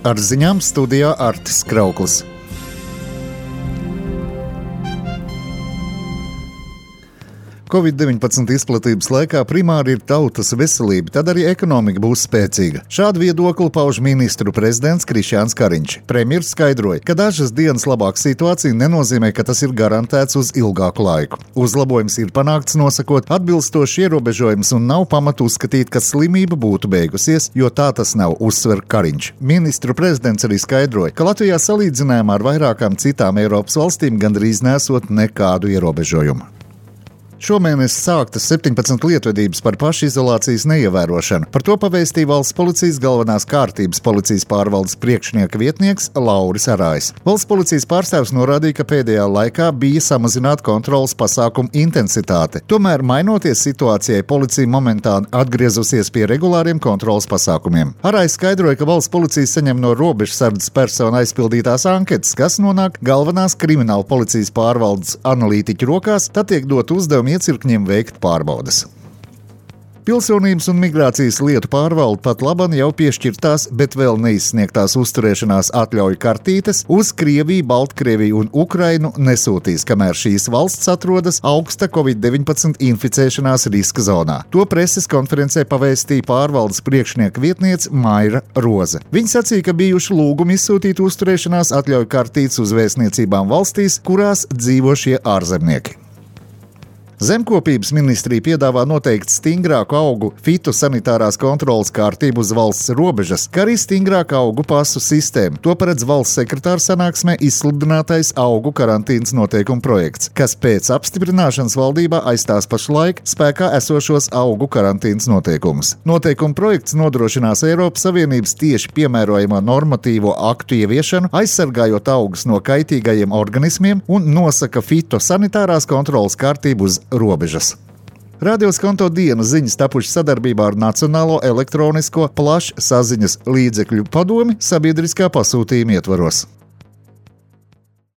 Ar ziņām studijā Artis Krauklis. Covid-19 izplatības laikā primāri ir tautas veselība, tad arī ekonomika būs spēcīga. Šādu viedokli pauž ministru prezidents Krišjāns Kariņš. Premjers skaidroja, ka dažas dienas labāka situācija nenozīmē, ka tas ir garantēts uz ilgāku laiku. Uzlabojums ir panākts nosakot atbilstoši ierobežojumus un nav pamatu uzskatīt, ka slimība būtu beigusies, jo tā tas nav, uzsver Kariņš. Ministru prezidents arī skaidroja, ka Latvijā salīdzinājumā ar vairākām citām Eiropas valstīm gandrīz nesot nekādu ierobežojumu. Šomēnes sāktas 17 lietvedības par pašizolācijas neievērošanu. Par to pavēstīja Valsts policijas galvenās kārtības policijas pārvaldes priekšnieka vietnieks Lauris Arājs. Valsts policijas pārstāvs norādīja, ka pēdējā laikā bija samazināta kontrolas pasākumu intensitāte. Tomēr, mainoties situācijai, policija momentāni atgriezusies pie regulāriem kontrolas pasākumiem. Arājs skaidroja, ka Valsts policija saņem no robežsardzes personu aizpildītās anketas, kas nonāk galvenās krimināla policijas pārvaldes analītiķu rokās, tad tiek dot uzdevumi iecirkņiem veikt pārbaudes. Pilsonības un migrācijas lietu pārvalde pat laban jau piešķirtās, bet vēl neizsniegtās uzturēšanās atļauju kartītes uz Krieviju, Baltkrieviju un Ukrainu nesūtīs, kamēr šīs valsts atrodas augsta Covid-19 inficēšanās riska zonā. To preses konferencē pavēstīja pārvaldes priekšnieka vietniece Maira Roze. Viņa sacīja, ka bijuši lūgumi izsūtīt uzturēšanās atļauju kartītes uz vēstniecībām valstīs, kurās dzīvo šie ārzemnieki. Zemkopības ministrija piedāvā noteikt stingrāku augu fitosanitārās kontrolas kārtību uz valsts robežas, kā arī stingrāku augu pasu sistēmu. To paredz valsts sekretāra sanāksmē izsludinātais augu karantīnas noteikumu projekts, kas pēc apstiprināšanas valdībā aizstās pašlaik spēkā esošos augu karantīnas noteikumus. Noteikumu projekts nodrošinās Eiropas Savienības tieši piemērojamo normatīvo aktu ieviešanu, aizsargājot augus no kaitīgajiem organismiem un nosaka fitosanitārās kontrolas kārtību uz robežas. Radio Skonto dienas ziņas tapušas sadarbībā ar Nacionālo elektronisko plašsaziņas līdzekļu padomi sabiedriskā pasūtījuma ietvaros.